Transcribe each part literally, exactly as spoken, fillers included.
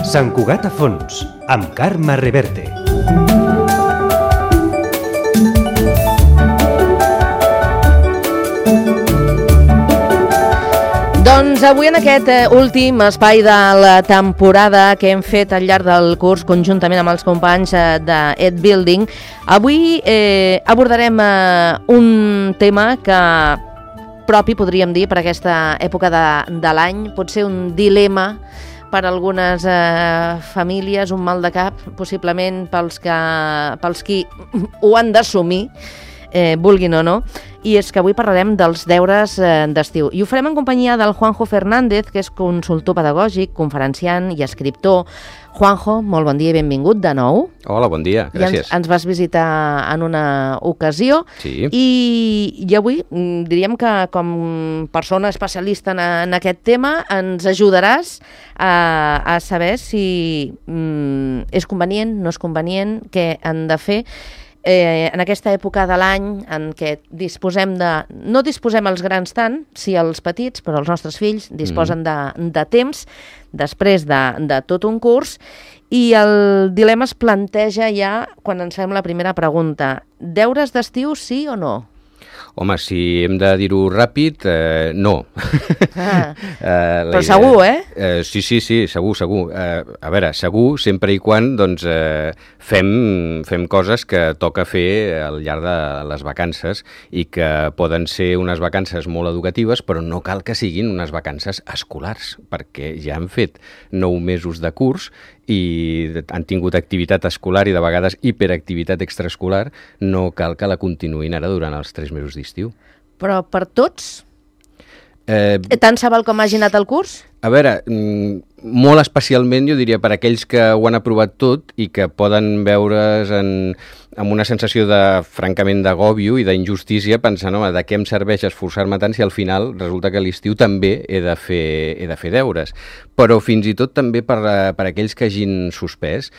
Sant Cugat a fons, amb Carme Reverte. Doncs avui en aquest últim espai de la temporada que hem fet al llarg del curs conjuntament amb els companys de Ed Building, avui eh, abordarem eh, un tema que propi, podríem dir, per aquesta època de, de l'any, pot ser un dilema per a algunes eh, famílies, un mal de cap, possiblement pels, que, pels qui ho han d'assumir, eh, vulguin o no, i és que avui parlarem dels deures eh, d'estiu. I ho farem en companyia del Juanjo Fernández, que és consultor pedagògic, conferenciant i escriptor. Juanjo, molt bon dia i benvingut de nou. Hola, bon dia, gràcies. Ja ens, ens vas visitar en una ocasió. Sí. I, i avui diríem que com persona especialista en, en aquest tema ens ajudaràs a, a saber si mm, és convenient, no és convenient, què han de fer Eh, en aquesta època de l'any en què disposem de... No disposem els grans tant, sí els petits, però els nostres fills disposen mm. de, de temps després de, de tot un curs, i el dilema es planteja ja quan ens fem la primera pregunta. Deures d'estiu, sí o no? Home, si hem de dir-ho ràpid, eh, no. Ah, uh, però idea... segur, eh? Uh, sí, sí, sí, segur, segur. Uh, a veure, segur, sempre i quan doncs, uh, fem, fem coses que toca fer al llarg de les vacances i que poden ser unes vacances molt educatives, però no cal que siguin unes vacances escolars, perquè ja han fet nou mesos de curs i han tingut activitat escolar i de vegades hiperactivitat extraescolar, no cal que la continuïn ara durant els tres mesos d'estiu. Però per tots? Eh, Tant se val com hagi anat el curs? A veure, molt especialment jo diria per aquells que ho han aprovat tot i que poden veure's en, amb una sensació de, francament, d'agòbio i d'injustícia, pensant, home, de què em serveix esforçar-me tant si al final resulta que a l'estiu també he de fer, he de fer deures. Però fins i tot també per, per aquells que hagin suspès.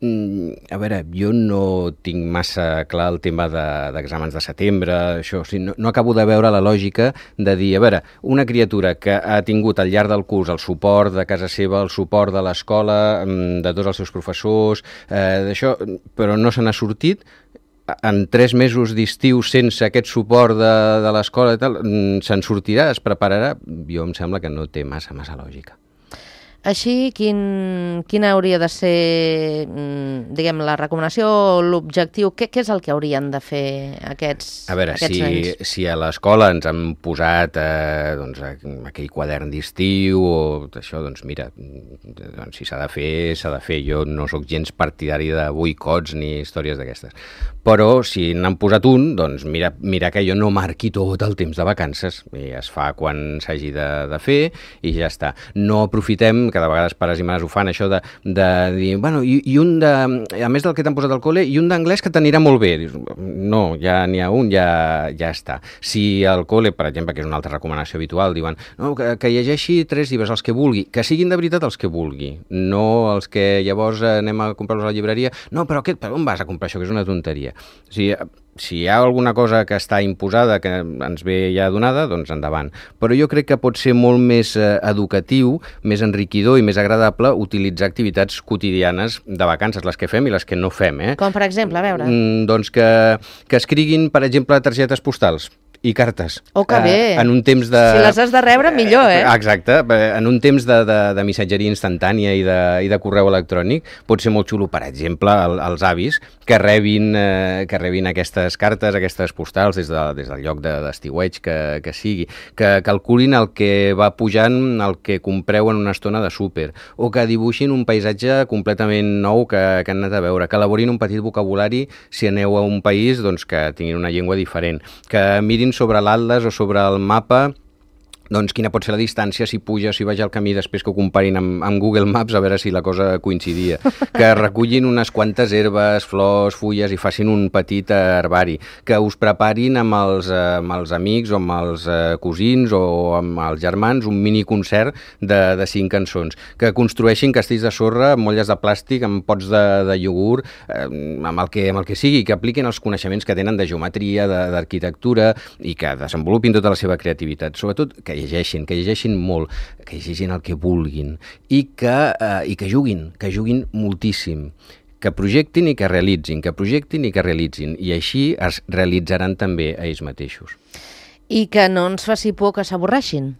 A veure, jo no tinc massa clar el tema de, d'exàmens de setembre, això, o sigui, no, no acabo de veure la lògica de dir, a veure, una criatura que ha tingut al llarg del curs el suport de casa seva, el suport de l'escola, de tots els seus professors, eh, d'això, però no se n'ha sortit, en tres mesos d'estiu sense aquest suport de, de l'escola i tal, se'n sortirà, es prepararà? Jo em sembla que no té massa, massa lògica. Així, quin, quina hauria de ser, diguem, la recomanació, l'objectiu? Què, què és el que haurien de fer aquests, a veure, aquests si, anys? Si a l'escola ens han posat eh, doncs, aquell quadern d'estiu o això, doncs mira, doncs, si s'ha de fer, s'ha de fer. Jo no sóc gens partidari de boicots ni històries d'aquestes. Però si n'han posat un, doncs mira, mira que jo no marqui tot el temps de vacances. I es fa quan s'hagi de, de fer i ja està. No aprofitem, que de vegades pares i mares ho fan, això de, de dir, bueno, i, i un de, a més del que t'han posat al col·le, i un d'anglès que t'anirà molt bé. Dius, no, ja n'hi ha un, ja, ja està. Si al col·le, per exemple, que és una altra recomanació habitual, diuen, no, que, que llegeixi tres llibres, els que vulgui, que siguin de veritat els que vulgui, no els que llavors anem a comprar-los a la llibreria, no, però aquest, per on vas a comprar això, que és una tonteria. O sigui, si hi ha alguna cosa que està imposada, que ens ve ja donada, doncs endavant. Però jo crec que pot ser molt més eh, educatiu, més enriquidor i més agradable utilitzar activitats quotidianes de vacances, les que fem i les que no fem. Eh? Com, per exemple, a veure? Mm, doncs que, que escriguin, per exemple, targetes postals i cartes. Oh, que bé! Eh, en un temps de... Si les has de rebre, millor, eh? Exacte. En un temps de, de, de missatgeria instantània i de, i de correu electrònic pot ser molt xulo, per exemple, el, els avis que rebin, eh, que rebin aquestes cartes, aquestes postals des, de, des del lloc de, d'estiueig que, que sigui, que calculin el que va pujant, el que compreu en una estona de súper, o que dibuixin un paisatge completament nou que, que han anat a veure, que elaborin un petit vocabulari si aneu a un país doncs, que tinguin una llengua diferent, que mirin sobre l'atles o sobre el mapa doncs quina pot ser la distància, si puja, si vaja el camí, després que ho comparin amb, amb Google Maps, a veure si la cosa coincidia. Que recullin unes quantes herbes, flors, fulles i facin un petit herbari. Que us preparin amb els, eh, amb els amics o amb els eh, cosins o amb els germans un mini concert de, de cinc cançons. Que construeixin castells de sorra amb molles de plàstic, amb pots de, de iogurt, eh, amb, el que, amb el que sigui, que apliquin els coneixements que tenen de geometria, de, d'arquitectura i que desenvolupin tota la seva creativitat. Sobretot que que llegeixin, que llegeixin molt, que llegeixin el que vulguin i que, eh, i que juguin, que juguin moltíssim, que projectin i que realitzin, que projectin i que realitzin, i així es realitzaran també a ells mateixos. I que no ens faci por que s'avorreixin.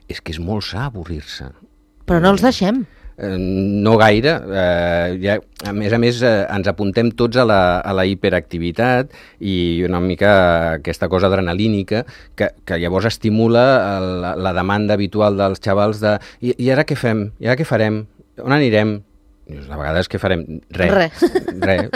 És que és molt sa avorrir-se. Però no els deixem. Eh, no gaire. Eh, ja, a més a més, eh, ens apuntem tots a la, a la hiperactivitat i una mica aquesta cosa adrenalínica que, que llavors estimula la, la demanda habitual dels xavals de i, i ara què fem? I ara què farem? On anirem? Dius, de vegades què farem? Res. Res. Res,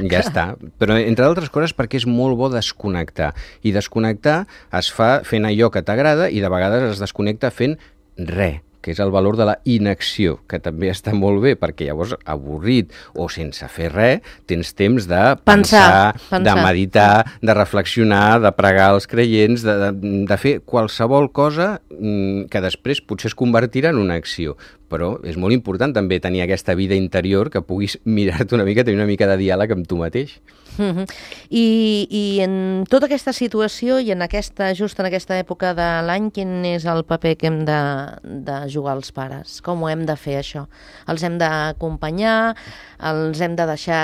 ja està. Però entre altres coses perquè és molt bo desconnectar. I desconnectar es fa fent allò que t'agrada i de vegades es desconnecta fent res, que és el valor de la inacció, que també està molt bé, perquè llavors avorrit o sense fer res, tens temps de pensar, pensar, pensar. de meditar, de reflexionar, de pregar els creients, de, de, de fer qualsevol cosa que després potser es convertirà en una acció. Però és molt important també tenir aquesta vida interior que puguis mirar-te una mica, tenir una mica de diàleg amb tu mateix. Uh-huh. I, I en tota aquesta situació i en aquesta, just en aquesta època de l'any, quin és el paper que hem de, de jugar els pares? Com ho hem de fer, això? Els hem d'acompanyar? Els hem de deixar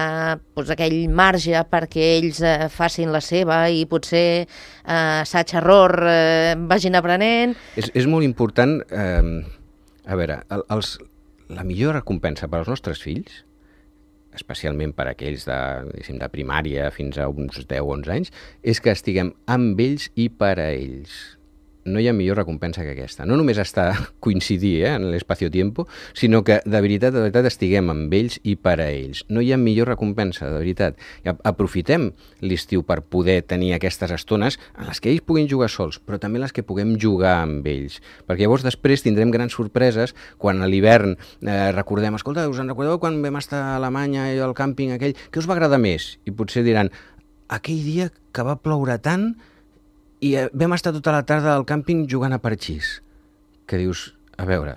doncs, aquell marge perquè ells eh, facin la seva i potser eh, assaig-error eh, vagin aprenent? És, és molt important... Eh, A veure, el, els, la millor recompensa per als nostres fills, especialment per a aquells de, de primària fins a uns deu o onze anys, és que estiguem amb ells i per a ells. No hi ha millor recompensa que aquesta. No només està coincidir eh, en l'espacio-tiempo, sinó que de veritat, de veritat estiguem amb ells i per a ells. No hi ha millor recompensa, de veritat. I aprofitem l'estiu per poder tenir aquestes estones en les que ells puguin jugar sols, però també les que puguem jugar amb ells. Perquè llavors després tindrem grans sorpreses quan a l'hivern eh, recordem, escolta, us en recordeu quan vam estar a Alemanya i al càmping aquell, què us va agradar més? I potser diran, aquell dia que va ploure tant i vam estar tota la tarda al càmping jugant a parxís. Que dius, a veure,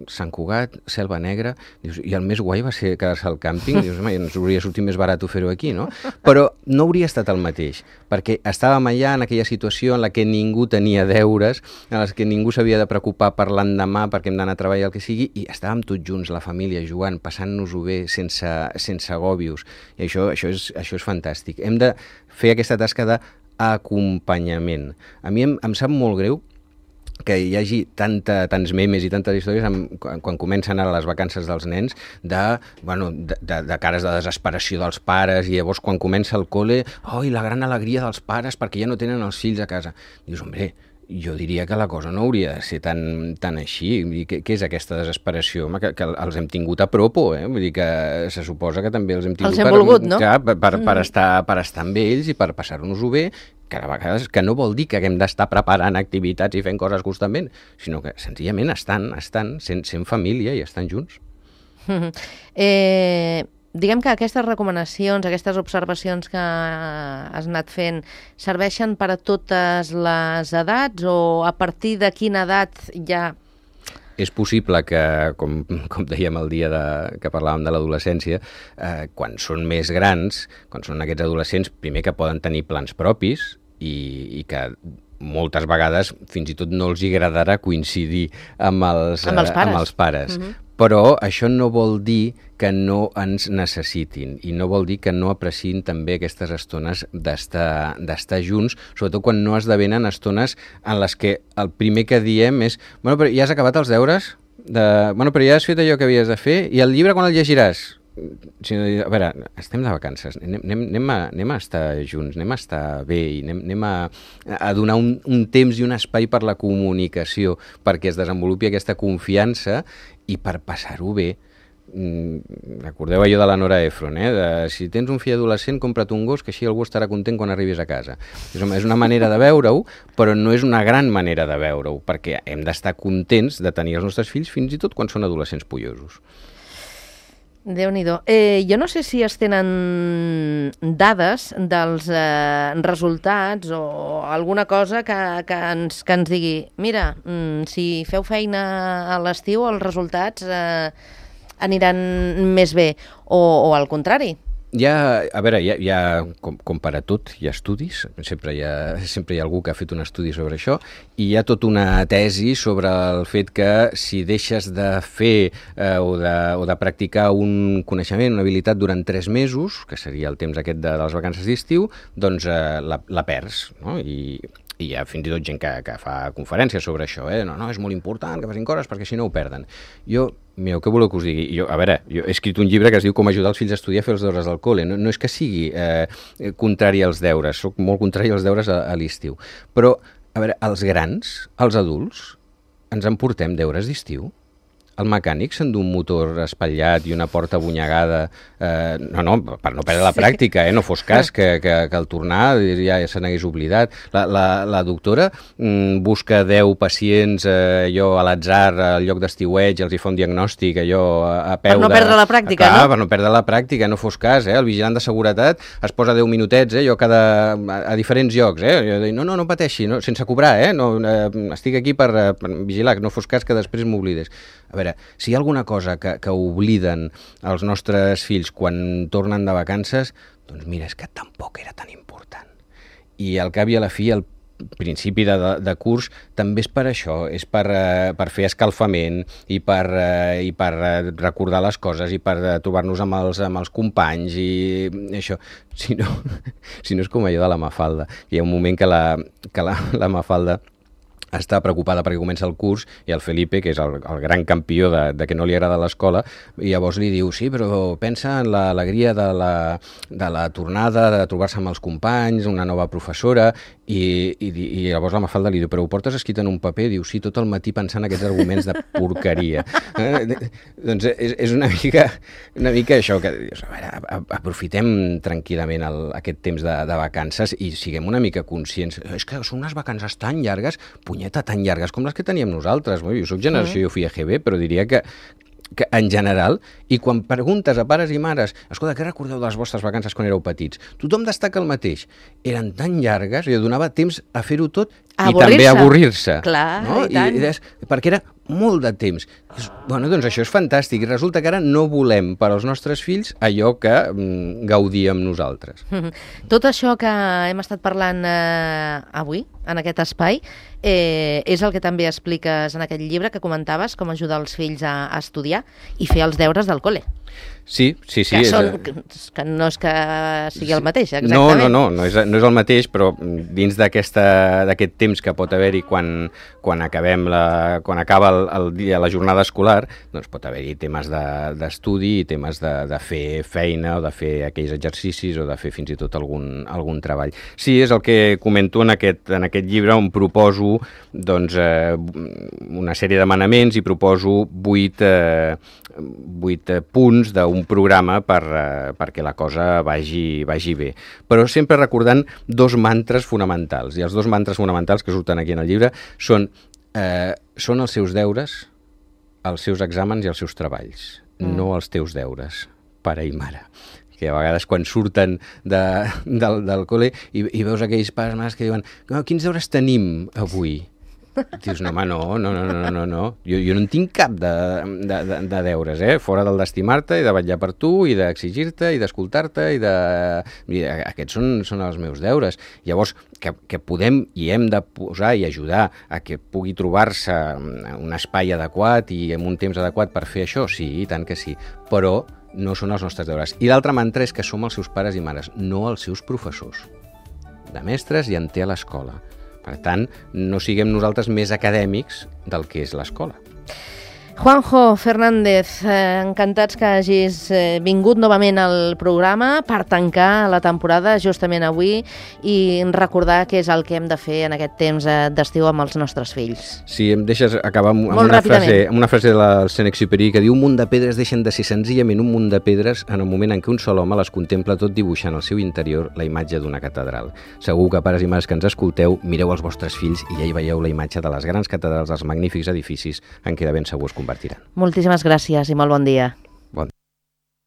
Sant Cugat, Selva Negra, dius, i el més guai va ser quedar-se al càmping, dius, home, ens hauria sortit més barat fer-ho aquí, no? Però no hauria estat el mateix, perquè estàvem allà en aquella situació en la que ningú tenia deures, en la que ningú s'havia de preocupar per l'endemà perquè hem d'anar a treballar el que sigui, i estàvem tots junts, la família, jugant, passant-nos-ho bé, sense, sense agòbios, i això, això, és, això és fantàstic. Hem de fer aquesta tasca de acompanyament. A mi em, em sap molt greu que hi hagi tanta, tants memes i tantes històries amb, quan, quan comencen ara les vacances dels nens de, bueno, de, de, de cares de desesperació dels pares i llavors quan comença el col·le, oh, i la gran alegria dels pares perquè ja no tenen els fills a casa. Dius, hombre, jo diria que la cosa no hauria de ser tan, tan així. Què, què és aquesta desesperació? Home, que, que els hem tingut a propo, eh? Vull dir que se suposa que també els hem tingut els hem per, volgut, no? que, per, per, per, estar, per estar amb ells i per passar-nos-ho bé, que a vegades que no vol dir que haguem d'estar preparant activitats i fent coses constantment, sinó que senzillament estan, estan sent, sent família i estan junts. Eh... Diguem que aquestes recomanacions, aquestes observacions que has anat fent, serveixen per a totes les edats o a partir de quina edat ja... És possible que, com, com dèiem el dia de, que parlàvem de l'adolescència, eh, quan són més grans, quan són aquests adolescents, primer que poden tenir plans propis i, i que moltes vegades fins i tot no els agradarà coincidir amb els, amb els pares. Amb els pares. Uh-huh. Però això no vol dir que no ens necessitin i no vol dir que no apreciïn també aquestes estones d'estar d'estar junts, sobretot quan no esdevenen estones en les que el primer que diem és bueno, però ja has acabat els deures? De, bueno, però ja has fet allò que havies de fer? I el llibre quan el llegiràs? A veure, estem de vacances, anem, anem, a, anem a estar junts, anem a estar bé i anem, anem a, a donar un, un temps i un espai per la comunicació perquè es desenvolupi aquesta confiança i per passar-ho bé. Recordeu allò de la Nora Ephron, eh? De, si tens un fill adolescent, compra't un gos que així algú estarà content quan arribis a casa. És una manera de veure-ho, però no és una gran manera de veure-ho, perquè hem d'estar contents de tenir els nostres fills fins i tot quan són adolescents pollosos. Déu-n'hi-do. Eh, jo no sé si es tenen dades dels eh, resultats o alguna cosa que, que, ens, que ens digui mira, mm, si feu feina a l'estiu els resultats eh, aniran més bé o, o al contrari. hi ha, a veure, hi ha, hi ha com, com per a tot, hi ha estudis, sempre hi ha, sempre hi ha algú que ha fet un estudi sobre això, i hi ha tota una tesi sobre el fet que si deixes de fer eh, o, de, o de practicar un coneixement, una habilitat durant tres mesos, que seria el temps aquest de, de les vacances d'estiu, doncs eh, la, la perds, no? I, i hi ha fins i tot gent que, que fa conferències sobre això, eh? no, no, és molt important que facin coses perquè si no ho perden. Jo, mireu, què voleu que us digui? Jo, a veure, jo he escrit un llibre que es diu Com ajudar els fills a estudiar a fer els deures del col·le. No, no és que sigui eh, contrari als deures, soc molt contrari als deures a, a l'estiu. Però, a veure, els grans, els adults, ens emportem deures d'estiu? El mecànic s'endú un motor espatllat i una porta abonyegada, eh, no, no, per no perdre la pràctica, eh, no fos cas que, que, que al tornar ja, ja se n'hagués oblidat. La, la, la doctora mm, busca deu pacients eh, allò a l'atzar al lloc d'estiueig, els hi fa un diagnòstic allò a, a peu de... Per no perdre la pràctica, clar, no? Per no perdre la pràctica, no fos cas, eh? El vigilant de seguretat es posa deu minutets, eh, jo cada, a, a diferents llocs, eh? Jo dic, no, no, no pateixi, no, sense cobrar, eh? No, eh, estic aquí per, per vigilar, que no fos cas que després m'oblides. A veure, si hi ha alguna cosa que, que obliden els nostres fills quan tornen de vacances, doncs mira, és que tampoc era tan important. I al cap i a la fi, el principi de, de, de curs també és per això, és per, uh, per fer escalfament i per, uh, i per uh, recordar les coses i per uh, trobar-nos amb els, amb els companys i això. Si no, si no és com allò de la Mafalda. Hi ha un moment que la, que la, la Mafalda està preocupada perquè comença el curs i el Felipe, que és el, el gran campió de, de que no li agrada l'escola, i llavors li diu, sí, però pensa en l'alegria de la, de la tornada, de trobar-se amb els companys, una nova professora, i, i, i llavors la Mafalda li diu, però ho portes escrit en un paper? Diu, sí, tot el matí pensant aquests arguments de porqueria. Eh, doncs és, és una mica, una mica això, que dius, a veure, aprofitem tranquil·lament el, aquest temps de, de vacances i siguem una mica conscients. És que són unes vacances tan llargues, punyeta, tan llargues com les que teníem nosaltres. Jo soc generació, jo fui a G B, però diria que que en general, i quan preguntes a pares i mares, escolta, què recordeu de les vostres vacances quan éreu petits? Tothom destaca el mateix. Eren tan llargues, i donava temps a fer-ho tot i també a avorrir-se. Clar, no? i tant. I, i, perquè era molt de temps. Bueno, doncs això és fantàstic, i resulta que ara no volem per als nostres fills allò que mm, gaudíem nosaltres. Tot això que hem estat parlant eh, avui, en aquest espai, eh, és el que també expliques en aquest llibre que comentaves, com ajudar els fills a, a estudiar i fer els deures del col·le. Sí, sí, sí. Que, és... són, que no és que sigui el mateix, exactament. No, no, no, no és, no és el mateix, però dins d'aquest temps que pot haver-hi quan, quan acabem la, quan acaba el, el dia, la jornada escolar, doncs pot haver-hi temes d'estudi de, i temes de, de fer feina o de fer aquells exercicis o de fer fins i tot algun, algun treball. Sí, és el que comento en aquest, en aquest llibre, on proposo doncs, eh, una sèrie de manaments i proposo vuit, eh, vuit punts d'un programa per, eh, perquè la cosa vagi, vagi bé. Però sempre recordant dos mantres fonamentals. I els dos mantres fonamentals que surten aquí en el llibre són, eh, són els seus deures, els seus exàmens i els seus treballs, mm. no els teus deures, pare i mare. Que a vegades quan surten de, del, del col·le i, i veus aquells pares mares que diuen quins deures tenim avui? Dius, no, home, no, no, no, no, no, no. Jo, jo no en tinc cap de, de, de, de deures, eh? Fora del d'estimar-te i de vetllar per tu i d'exigir-te i d'escoltar-te i de... I aquests són, són els meus deures. Llavors, que, que podem i hem de posar i ajudar a que pugui trobar-se un espai adequat i en un temps adequat per fer això, sí, i tant que sí, però no són els nostres deures. I l'altre mantra és que som els seus pares i mares, no els seus professors. De mestres i en té a l'escola. Per tant, no siguem nosaltres més acadèmics del que és l'escola. Juanjo Fernández, eh, encantats que hagis eh, vingut novament al programa per tancar la temporada justament avui i recordar què és el que hem de fer en aquest temps eh, d'estiu amb els nostres fills. Sí, em deixes acabar amb, amb, una, frase, amb una frase de la Saint-Exupéry que diu: un munt de pedres deixen de ser senzillament un munt de pedres en el moment en què un sol home les contempla tot dibuixant al seu interior la imatge d'una catedral. Segur que pares i mares que ens escolteu, mireu els vostres fills i ja hi veieu la imatge de les grans catedrals, dels magnífics edificis en què de ben segur es convertiran. Moltíssimes gràcies i molt bon dia.